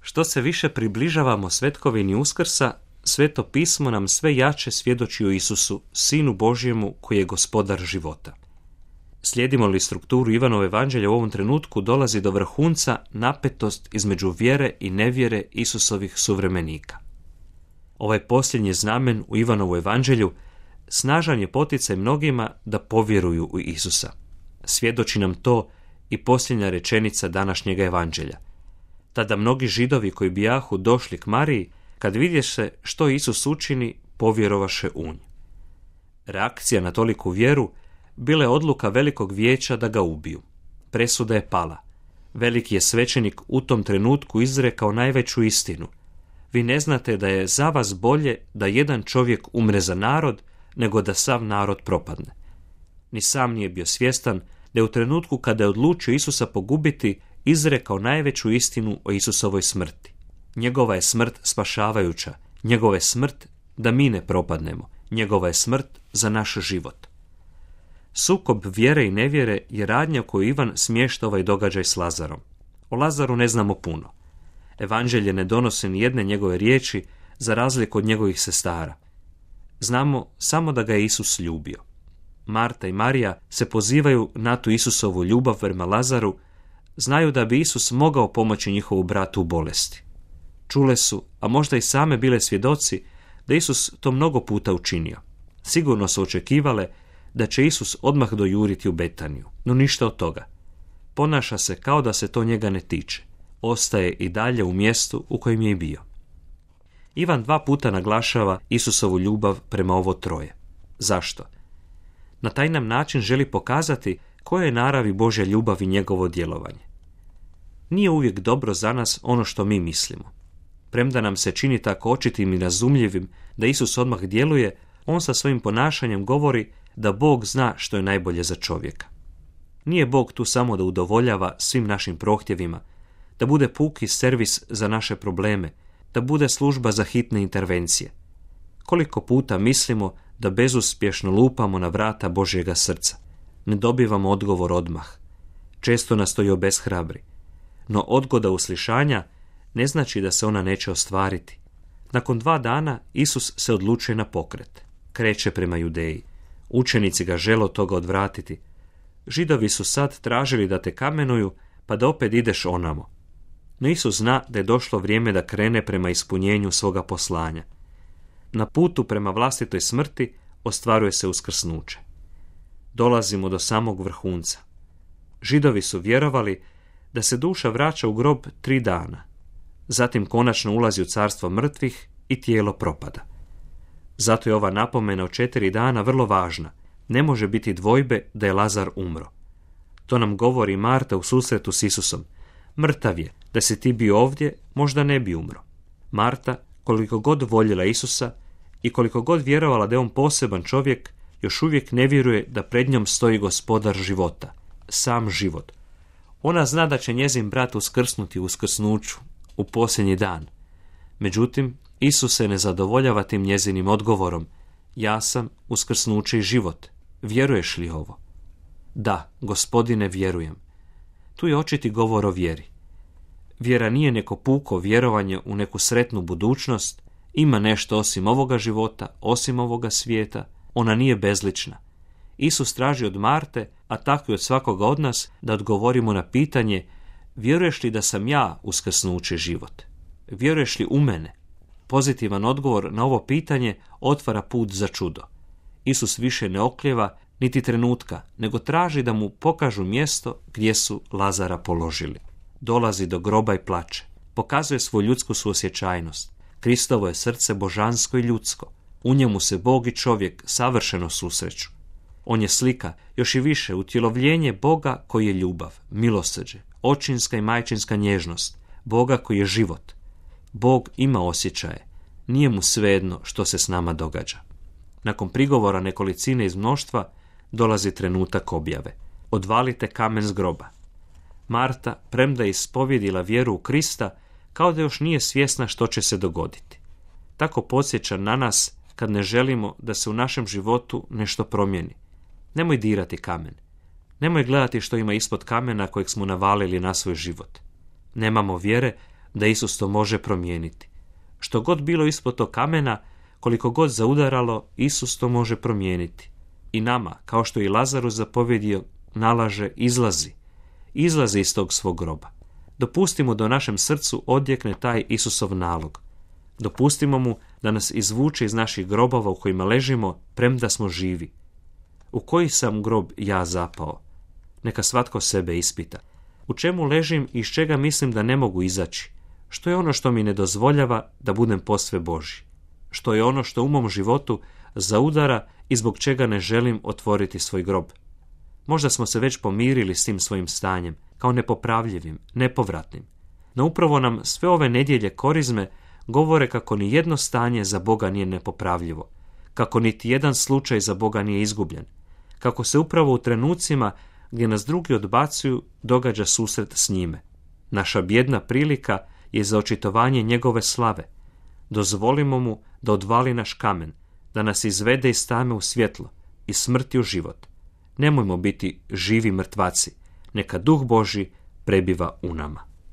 Što se više približavamo svetkovini Uskrsa, Sveto pismo nam sve jače svjedoči o Isusu, Sinu Božjemu koji je gospodar života. Slijedimo li strukturu Ivanove evanđelja u ovom trenutku, dolazi do vrhunca napetost između vjere i nevjere Isusovih suvremenika. Ovaj posljednji znamen u Ivanovu evanđelju snažan je poticaj mnogima da povjeruju u Isusa. Svjedoči nam to i posljednja rečenica današnjega evanđelja. Tada mnogi Židovi koji bijahu došli k Mariji, kad vidješe što Isus učini, povjerovaše u nj. Reakcija na toliku vjeru bila je odluka velikog vijeća da ga ubiju. Presuda je pala. Veliki je svećenik u tom trenutku izrekao najveću istinu. Vi ne znate da je za vas bolje da jedan čovjek umre za narod, nego da sav narod propadne. Ni sam nije bio svjestan da je u trenutku kada je odlučio Isusa pogubiti, izrekao najveću istinu o Isusovoj smrti. Njegova je smrt spašavajuća, njegova je smrt da mi ne propadnemo, njegova je smrt za naš život. Sukob vjere i nevjere je radnja koju Ivan smješta ovaj događaj s Lazarom. O Lazaru ne znamo puno. Evanđelje ne donosi ni jedne njegove riječi za razliku od njegovih sestara. Znamo samo da ga je Isus ljubio. Marta i Marija se pozivaju na tu Isusovu ljubav prema Lazaru, znaju da bi Isus mogao pomoći njihovu bratu u bolesti. Čule su, a možda i same bile svjedoci, da Isus to mnogo puta učinio. Sigurno su očekivale da će Isus odmah dojuriti u Betaniju, no ništa od toga. Ponaša se kao da se to njega ne tiče. Ostaje i dalje u mjestu u kojem je i bio. Ivan 2 puta naglašava Isusovu ljubav prema ovo troje. Zašto? Na taj nam način želi pokazati koja je naravi Božja ljubav i njegovo djelovanje. Nije uvijek dobro za nas ono što mi mislimo. Premda nam se čini tako očitim i razumljivim da Isus odmah djeluje, on sa svojim ponašanjem govori da Bog zna što je najbolje za čovjeka. Nije Bog tu samo da udovoljava svim našim prohtjevima, da bude puki servis za naše probleme, da bude služba za hitne intervencije. Koliko puta mislimo da bezuspješno lupamo na vrata Božjega srca. Ne dobivamo odgovor odmah. Često nas to i obeshrabri. No odgoda uslišanja ne znači da se ona neće ostvariti. Nakon 2 dana Isus se odlučuje na pokret. Kreće prema Judeji. Učenici ga žele od toga odvratiti. Židovi su sad tražili da te kamenuju, pa da opet ideš onamo. No Isus zna da je došlo vrijeme da krene prema ispunjenju svoga poslanja. Na putu prema vlastitoj smrti ostvaruje se uskrsnuće. Dolazimo do samog vrhunca. Židovi su vjerovali da se duša vraća u grob 3 dana. Zatim konačno ulazi u carstvo mrtvih i tijelo propada. Zato je ova napomena o 4 dana vrlo važna. Ne može biti dvojbe da je Lazar umro. To nam govori Marta u susretu s Isusom. Mrtav je, da si ti bio ovdje, možda ne bi umro. Marta, koliko god voljela Isusa i koliko god vjerovala da je on poseban čovjek, još uvijek ne vjeruje da pred njom stoji gospodar života, sam život. Ona zna da će njezin brat uskrsnuti u uskrsnuću, u posljednji dan. Međutim, Isus se ne zadovoljava tim njezinim odgovorom. Ja sam uskrsnuće i život. Vjeruješ li ovo? Da, Gospodine, vjerujem. Tu je očiti govor o vjeri. Vjera nije neko puko vjerovanje u neku sretnu budućnost, ima nešto osim ovoga života, osim ovoga svijeta, ona nije bezlična. Isus traži od Marte, a tako i od svakoga od nas, da odgovorimo na pitanje: vjeruješ li da sam ja uskrsnuće život? Vjeruješ li u mene? Pozitivan odgovor na ovo pitanje otvara put za čudo. Isus više ne oklijeva niti trenutka, nego traži da mu pokažu mjesto gdje su Lazara položili. Dolazi do groba i plače. Pokazuje svoju ljudsku suosjećajnost. Kristovo je srce božansko i ljudsko. U njemu se Bog i čovjek savršeno susreću. On je slika, još i više, utjelovljenje Boga koji je ljubav, milosrđe, očinska i majčinska nježnost, Boga koji je život. Bog ima osjećaje. Nije mu svejedno što se s nama događa. Nakon prigovora nekolicine iz mnoštva dolazi trenutak objave. Odvalite kamen s groba. Marta, premda je ispovjedila vjeru u Krista, kao da još nije svjesna što će se dogoditi. Tako podsjeća na nas kad ne želimo da se u našem životu nešto promijeni. Nemoj dirati kamen. Nemoj gledati što ima ispod kamena kojeg smo navalili na svoj život. Nemamo vjere da Isus to može promijeniti. Što god bilo ispod tog kamena, koliko god zaudaralo, Isus to može promijeniti. I nama, kao što i Lazaru zapovjedio, nalaže izlazi iz tog svog groba. Dopustimo da u našem srcu odjekne taj Isusov nalog. Dopustimo mu da nas izvuče iz naših grobova u kojima ležimo, premda smo živi. U koji sam grob ja zapao? Neka svatko sebe ispita. U čemu ležim i iz čega mislim da ne mogu izaći? Što je ono što mi ne dozvoljava da budem posve Božji? Što je ono što u mom životu zaudara i zbog čega ne želim otvoriti svoj grob? Možda smo se već pomirili s tim svojim stanjem, kao nepopravljivim, nepovratnim. No upravo nam sve ove nedjelje korizme govore kako ni jedno stanje za Boga nije nepopravljivo, kako niti jedan slučaj za Boga nije izgubljen, kako se upravo u trenucima gdje nas drugi odbacuju događa susret s njime. Naša bijedna prilika je za očitovanje njegove slave. Dozvolimo mu da odvali naš kamen, da nas izvede iz tame u svjetlo, iz smrti u život. Nemojmo biti živi mrtvaci, neka Duh Božji prebiva u nama.